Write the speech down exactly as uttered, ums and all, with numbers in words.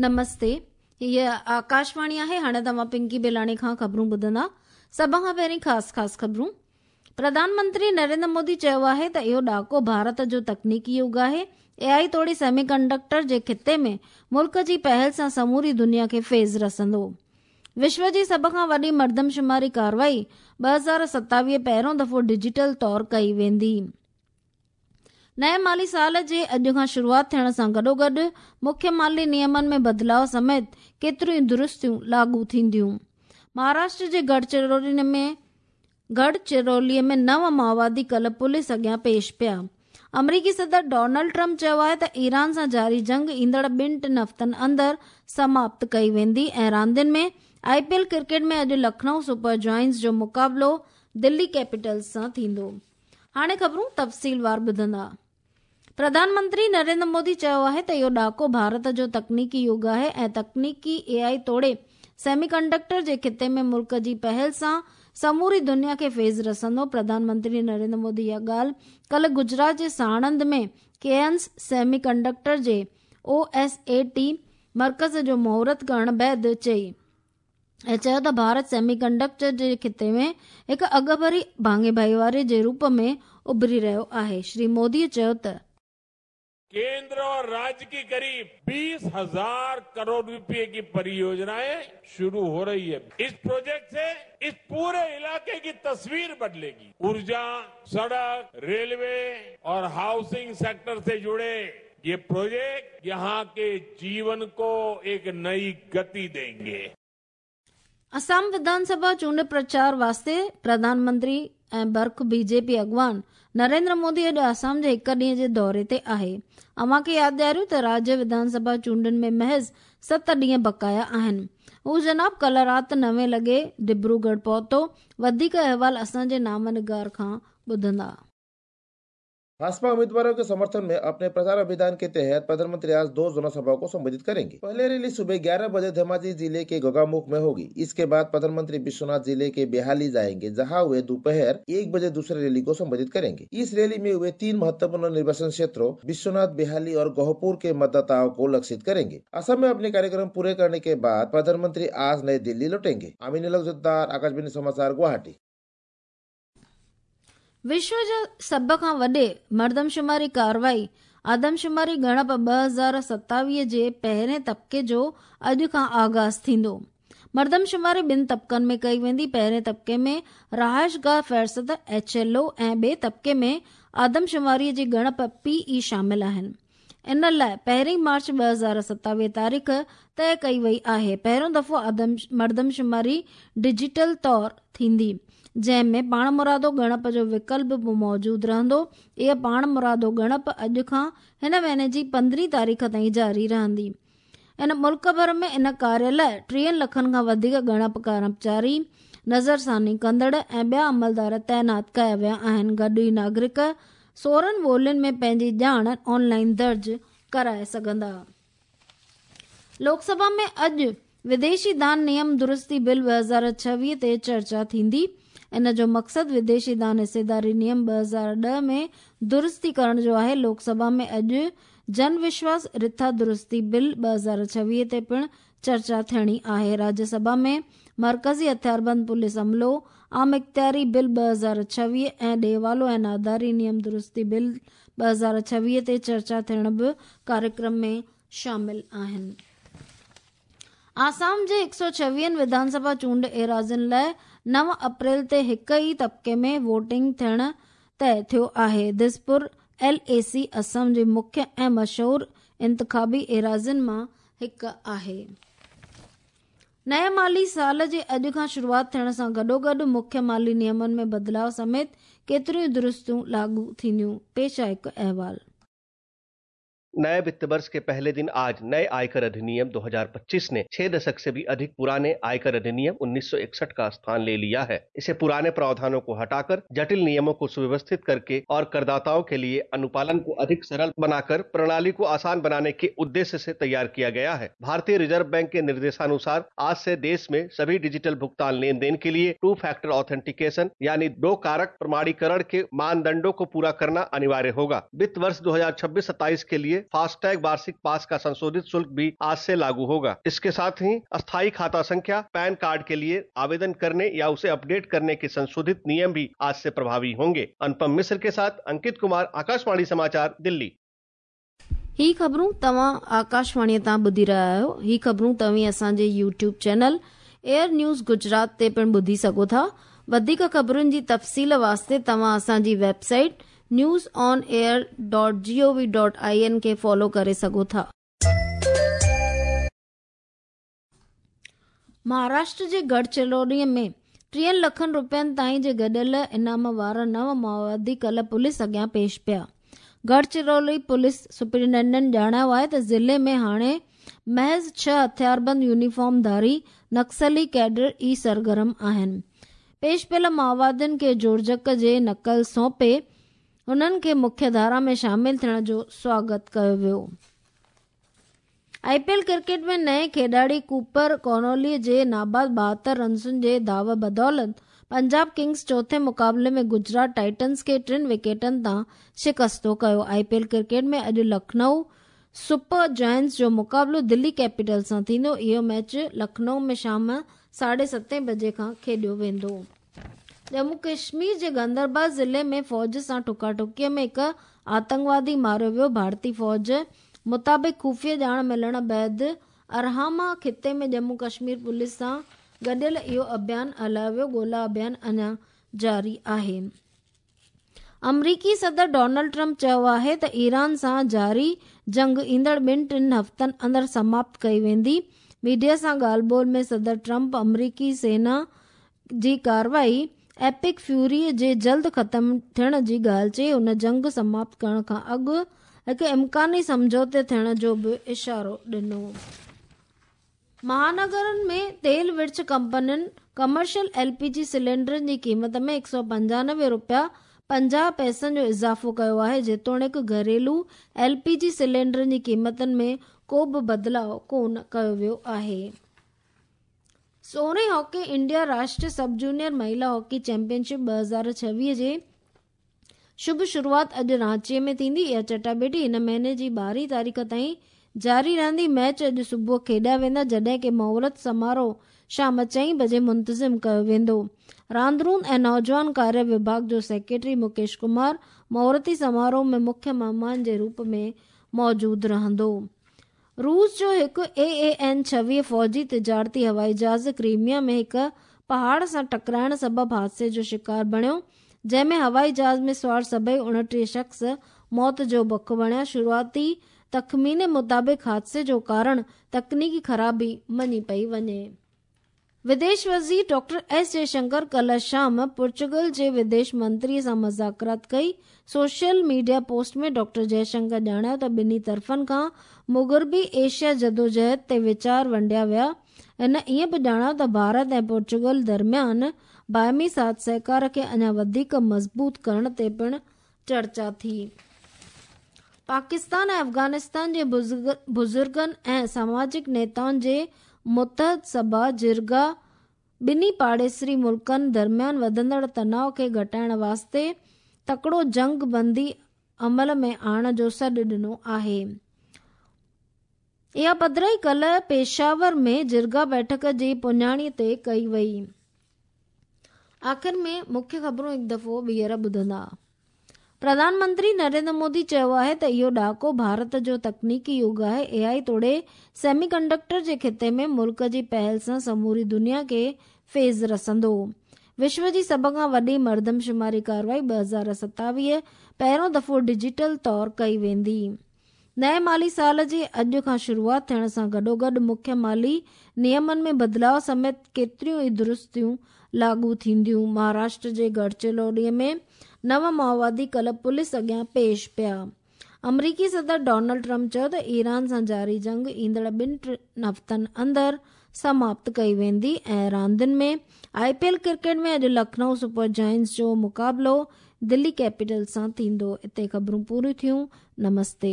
नमस्ते, हीअ आकाशवाणी आहे। हाणे तव्हां पिंकी बेलाणी खां ख़बरूं ॿुधंदा। सभ खां पहिरीं ख़ासि ख़ासि ख़बरूं। प्रधानमंत्री नरेंद्र मोदी चयो आहे त इहो ॾहाको भारत जो तकनीकी युग आहे। ए आई तोड़े सेमी कंडक्टर जे ख़िते में मुल्क जी पहल सां समूरी दुनिया खे फैज़ रसंदो। विश्व जी सभ खां वॾी मर्दमशुमारी कार्रवाई ॿ हज़ार सतावीह पहिरियों दफ़ो डिजिटल तौर कई वेंदी। नए माली साल जे अॼु खां शुरूआत थियण सां गॾोगॾु मुख्य माली नियमनि में बदिलाव समेत केतिरियूं ई दुरुस्तियूं लागू थींदियूं। महाराष्ट्र जे गढ़चिरौली में गढ़चिरौलीअ में नव माओवादी कल पुलिस अॻियां पेश पिया। अमरीकी सदर डोनाल्ड ट्रंप चयो आहे त ईरान सां जारी जंग ईंदड़ ॿिनि टिनि हफ़्तनि अंदरि समाप्त कई वेंदी। ऐं रांदियुनि में I P L cricket में अॼु लखनऊ सुपर जॉइंट्स जो मुक़ाबिलो दिल्ली कैपिटल्स सां थींदो। हाणे ख़बरूं तफ़सीलवार ॿुधंदा। प्रधानमंत्री नरेंद्र मोदी चयो आहे त इहो ॾहाको भारत जो तकनीकी युग आहे ऐं तकनीकी ए आई तोड़े सेमीकंडक्टर जे ख़िते में मुल्क जी पहल सां समूरी दुनिया खे फैज़ रसंदो। प्रधानमंत्री नरेंद्र मोदी इहा ॻाल्हि कल गुजरात जे साणंद में केयंस सेमीकंडक्टर जे ओ एस ए टी मर्कज़ जो मुहूर्त करण बाद चई ऐं चयो त भारत सेमीकंडक्टर जे ख़िते में हिकु अॻभरी भाङे भाईवारी जे रूप में उभरी रहियो आहे। श्री मोदी चयो त केंद्र और राज्य की करीब बीस हजार करोड़ रुपए की परियोजनाएं शुरू हो रही है। इस प्रोजेक्ट से इस पूरे इलाके की तस्वीर बदलेगी। ऊर्जा, सड़क, रेलवे और हाउसिंग सेक्टर से जुड़े ये प्रोजेक्ट यहाँ के जीवन को एक नई गति देंगे। असम विधानसभा चूंड प्रचार वास्ते प्रधानमंत्री ऐं बर्ख बीजेपी अॻवान नरेंद्र मोदी अॼु असम जे हिकु ॾींहं जे दौरे ते आहे। अव्हां खे यादि ॾियारियूं त राज्य विधानसभा चूंडुनि में महज़ सत ॾींहं बकाया आहिनि। हू जनाब कल राति नवे लॻे डिब्रूगढ़ पहुतो। वधीक अहवाल असांजे नामनिगार खां ॿुधंदा। भाजपा उम्मीदवारों के समर्थन में अपने प्रचार अभियान के तहत प्रधानमंत्री आज दो जनसभाओं को संबोधित करेंगे। पहले रैली सुबह ग्यारह बजे धेमाजी जिले के गोगामुख में होगी। इसके बाद प्रधानमंत्री विश्वनाथ जिले के बेहाली जाएंगे, जहां वे दोपहर एक बजे दूसरे रैली को संबोधित करेंगे। इस रैली में वे तीन महत्वपूर्ण निर्वाचन क्षेत्रों विश्वनाथ, बेहाली और गोहपुर के मतदाताओं को लक्षित करेंगे। असम में अपने कार्यक्रम पूरे करने के बाद प्रधानमंत्री आज नई दिल्ली लौटेंगे। अमीन जोद्दार, आकाशवाणी समाचार, गुवाहाटी। विश्व जो सभ खां वॾे मर्दमशुमारी कार्रवाई आदमशुमारी ॻणप ॿ हज़ार सतावीह जे पहिरें तबिके जो अॼु खां आगाज़ थींदो। मर्दमशुमारी ॿिनि तबिकनि में कई वेंदी। पहिरें तबिके में रहाइशगाह फ़हरिस्त एच एल ओ ऐं ॿिए तबिके में आदमशुमारीअ जी ॻणप पी ई शामिल आहिनि। इन लाइ पहिरीं मार्च ॿ हज़ार सतावीह तारीख़ तय कई वई आहे। पहिरियों दफ़ो आदम मर्दमशुमारी डिजिटल तौर थींदी, जंहिं में पाणमुरादो ॻणप जो विकल्प बि मौजूदु रहंदो। इहा पाणमुरादो ॻणप अॼु खां हिन महीने जी पंद्रहीं तारीख़ ताईं जारी रहंदी। इन मुल्क भर में इन कार्य लाइ टीहनि लखनि खां वधीक ॻणप कर्मचारी, नज़रसानी कंदड़ ऐं ॿिया अमलदार तैनात कया विया आहिनि। गॾु ई नागरिक सोरहं ॿोलियुनि में पंहिंजी ॼाण ऑनलाइन दर्ज कराए सघंदा। लोकसभा में अॼु विदेशी दान नियम दुरुस्ती बिल ॿ हज़ार छवीह ते चर्चा थींदी। इन जो मक़सदु विदेशी दान हिस्सेदारी नियम ॿ हज़ार ॾह में दुरुस्ती करण जो आहे। लोकसभा में अॼु जन विश्वास रिथा दुरुस्ती बिल ॿ हज़ार छवीह ते पिणु चर्चा थियणी आहे। राज्यसभा में मर्कज़ी हथियारबंद पुलिस अमलो आम इख़्तियारी बिल ॿ हज़ार छवीह ऐं ॾेवालो ऐं नादारी नियम दुरुस्ती बिल ॿ हज़ार छवीह ते चर्चा थियण बि कार्यक्रम में शामिल आहिनि। आसाम जे हिकु सौ छवीहनि विधानसभा चूंड एराज़ियुनि लाइ नव अप्रैल ते हिकु ई तबिके में वोटिंग थियण तय थियो आहे। Dispur L A C Assam जे मुख्य ऐं मशहूर इंतिखाबी एराज़ियुनि मां हिकु आहे। नए माली साल जे अॼु खां शुरूआत थियण सां गॾोगॾु मुख्य माली नियमनि में बदिलाव समेत केतिरियूं ई दुरुस्तियूं लागू थींदियूं। पेश आहे हिकु अहवाल। नए वित्त वर्ष के पहले दिन आज नए आयकर अधिनियम दो हज़ार पच्चीस ने छह दशक से भी अधिक पुराने आयकर अधिनियम उन्नीस सौ इकसठ का स्थान ले लिया है। इसे पुराने प्रावधानों को हटाकर, जटिल नियमों को सुव्यवस्थित करके और करदाताओं के लिए अनुपालन को अधिक सरल बनाकर प्रणाली को आसान बनाने के उद्देश्य से तैयार किया गया है। भारतीय रिजर्व बैंक के निर्देशानुसार आज से देश में सभी डिजिटल भुगतान लेन then के लिए टू फैक्टर ऑथेंटिकेशन यानी दो कारक प्रमाणीकरण के मानदंडों को पूरा करना अनिवार्य होगा। वित्त वर्ष दो हजार छब्बीस सत्ताईस के लिए लिए फास्टैग वार्षिक पास का संशोधित शुल्क भी आज से लागू होगा। इसके साथ ही अस्थायी खाता संख्या, पैन कार्ड के लिए आवेदन करने या उसे अपडेट करने के संशोधित नियम भी आज से प्रभावी होंगे। अनुपम मिश्र के साथ अंकित कुमार, आकाशवाणी समाचार, दिल्ली। ही ख़बरूं तव्हां आकाशवाणीअ तां ॿुधी रहिया आहियो। ही ख़बरूं तव्हीं असांजे YouTube channel Air News Gujarat ते पिणु ॿुधी सघो था। वधीक ख़बरुनि जी तफ़सील वास्ते तव्हां असांजी website news on air dot G O V dot I N खे फॉलो करे सघो था। महाराष्ट्र जे गढ़चिरौली में टीहनि लखनि रुपयनि ताईं जे गॾियल इनाम वारा नव माओवादी कल पुलिस अॻियां पेश पिया। गढ़चिरौली पुलिस सुपरिटेंडेंट ॼाणायो आहे त ज़िले में हाणे महज़ छह हथियारबंद यूनिफॉर्म धारी नक्सली कैडर ई सरगर्म आहिनि। पेश पियल माओवादियुनि खे जोड़जक जे नक़ल सौंपे हुननि खे मुख्य धारा में शामिल थियण जो स्वागत कयो वियो। I P L cricket में नए खिलाड़ी कूपर कॉनोली जे नाबाद ॿाहतरि रन्सुनि जे दाव बदौलत पंजाब किंग्स चौथे मुक़ाबले में गुजरात टाइटन्स खे टिनि विकेटनि तां शिकस्तो कयो। I P L cricket में अॼु लखनऊ सुपर जायंट्स जो मुक़ाबिलो दिल्ली कैपिटल सां थींदो। इहो मैच लखनऊ में शाम साढे सतें बजे खां खेॾियो वेंदो। जम्मू कश्मीर जे गंदरबाल ज़िले में फ़ौज सां ठुकाठुकीअ में हिकु आतंकवादी मारियो वियो। भारतीय फ़ौज मुताबिक़ ख़ुफ़िया ॼाण मिलण बाद अरहामा ख़िते में जम्मू कश्मीर पुलिस सां गॾियल इहो अभियान हलायो वियो। ॻोल्हा अभियान अञा जारी आहे। अमरीकी सदर डोनाल्ड ट्रंप चयो आहे त ईरान सां जारी जंग ईंदड़ ॿिनि टिनि हफ़्तनि अंदरि समाप्त कई वेंदी। मीडिया सां ॻाल्हि ॿोल में सदर ट्रंप अमरीकी सेना जी कार्रवाई एपिक फ्यूरी जे जल्द ख़त्म थियण जी ॻाल्हि चई। हुन जंग समाप्त करण खां अॻु हिकु इम्कानी सम्झौते थियण जो बि इशारो ॾिनो। महानगरनि में तेल विर्छ कंपनियुनि कमर्शियल एल पी जी सिलेंडरनि जी क़ीमत में हिकु सौ पंजानवे रुपया पंजाह पैसनि जो इज़ाफ़ो कयो आहे। जेतोणीकि घरेलू एल पी जी सिलेंडरनि जी क़ीमतुनि में को बि बदिलाव कोन कयो वियो आहे। सोरहें हॉकी इंडिया राष्ट्रीय सब जूनियर महिला हॉकी चैंपियनशिप ॿ हज़ार छवीह जे शुभ शुरुआत अॼु रांचीअ में थींदी। इहा चटाबेटी हिन महीने जी ॿारहीं तारीख़ ताईं जारी रहंदी। मैच अॼु सुबुह खेॾिया वेंदा, जॾहिं की मुहूर्त समारोह शाम चईं बजे मुंतज़िम कयो वेंदो। रांदरून ऐं नौजवान कार्य विभाग जो सेक्रेटरी मुकेश कुमार मुहूर्ती समारोह में मुख्य महिमान जे रूप में मौजूदु रहंदो। रूस जो हिकु ए ए एन छवीह फ़ौजी तिजारती हवाई जहाज़ क्रीमिया में हिकु पहाड़ सां टकराइण सबबि हादसे जो शिकार बणियो, जंहिंमें हवाई जहाज़ में सवार सभई उणिटीह शख़्स मौत जो बक बणिया। शुरुआती तख़मीने मुताबिक़ हादसे जो कारण तकनीकी ख़राबी मञी पई वञे। विदेश वज़ीर डॉक्टर एस जयशंकर कल शाम पुर्तगाल जे विदेश मंत्री सां मुज़ाकरात कई। सोशल मीडिया पोस्ट में डॉक्टर जयशंकर ॼाणायो त ॿिन्ही तरफ़नि खां मुग़रबी एशिया जदोजहद ते वीचार वंडिया विया। हिन ईअं बि ॼाणायो त भारत ऐं पुर्तगाल दरमियान बाहिमी साथ सहकार खे अञा वधीक मज़बूत करण ते पिणु चर्चा थी। पाकिस्तान ऐं अफ़गानिस्तान जे बुज़ुर्गनि ऐं सामाजिक नेताउनि जे मुतहद सभा जिरगा ॿिन्ही पाड़ेसरी मुल्कनि दरमियान वधंदड़ तनाव खे घटाइण वास्ते तकड़ो जंग बंदी अमल में आणण जो सॾु ॾिनो आहे। इहा पधराई कल पेशावर में जिरगा बैठक जी पुञाणीअ ते कई वई। आख़िर में मुख्य ख़बरूं हिकु दफ़ो ॿीहर ॿुधंदा। प्रधानमंत्री नरेंद्र मोदी चयो आहे त इहो ॾहाको भारत जो तकनीकी युग आहे। ए आई तोड़े सेमीकंडक्टर जे ख़िते में मुल्क जी पहल सां समूरी दुनिया खे फैज़ रसंदो। विश्व जी सभ खां वॾी मर्दमशुमारी कार्रवाई ॿ हज़ार सतावीह पहिरियों दफ़ो डिजिटल तौर कई वेंदी। नए माली साल जे अॼु खां शुरुआत थियण सां गॾोगॾु मुख्य माली नियमनि में बदिलाव समेत केतिरियूं ई दुरुस्तियूं लागू थींदियूं। महाराष्ट्र जे गढ़चिरौली में नव माओवादी कल पुलिस अॻियां पेश पिया। अमरीकी सदर डोनाल्ड ट्रंप चयो त ईरान सां जारी जंग ईंदड़ ॿिनि टिनि हफ़्तनि अंदरि समाप्त कई वेंदी। ऐं रांदियुनि में I P L cricket में अॼु लखनऊ सुपर जायंट्स जो मुक़ाबिलो दिल्ली कैपिटल सां थींदो। हिते ख़बरूं पूरियूं थियूं। नमस्ते।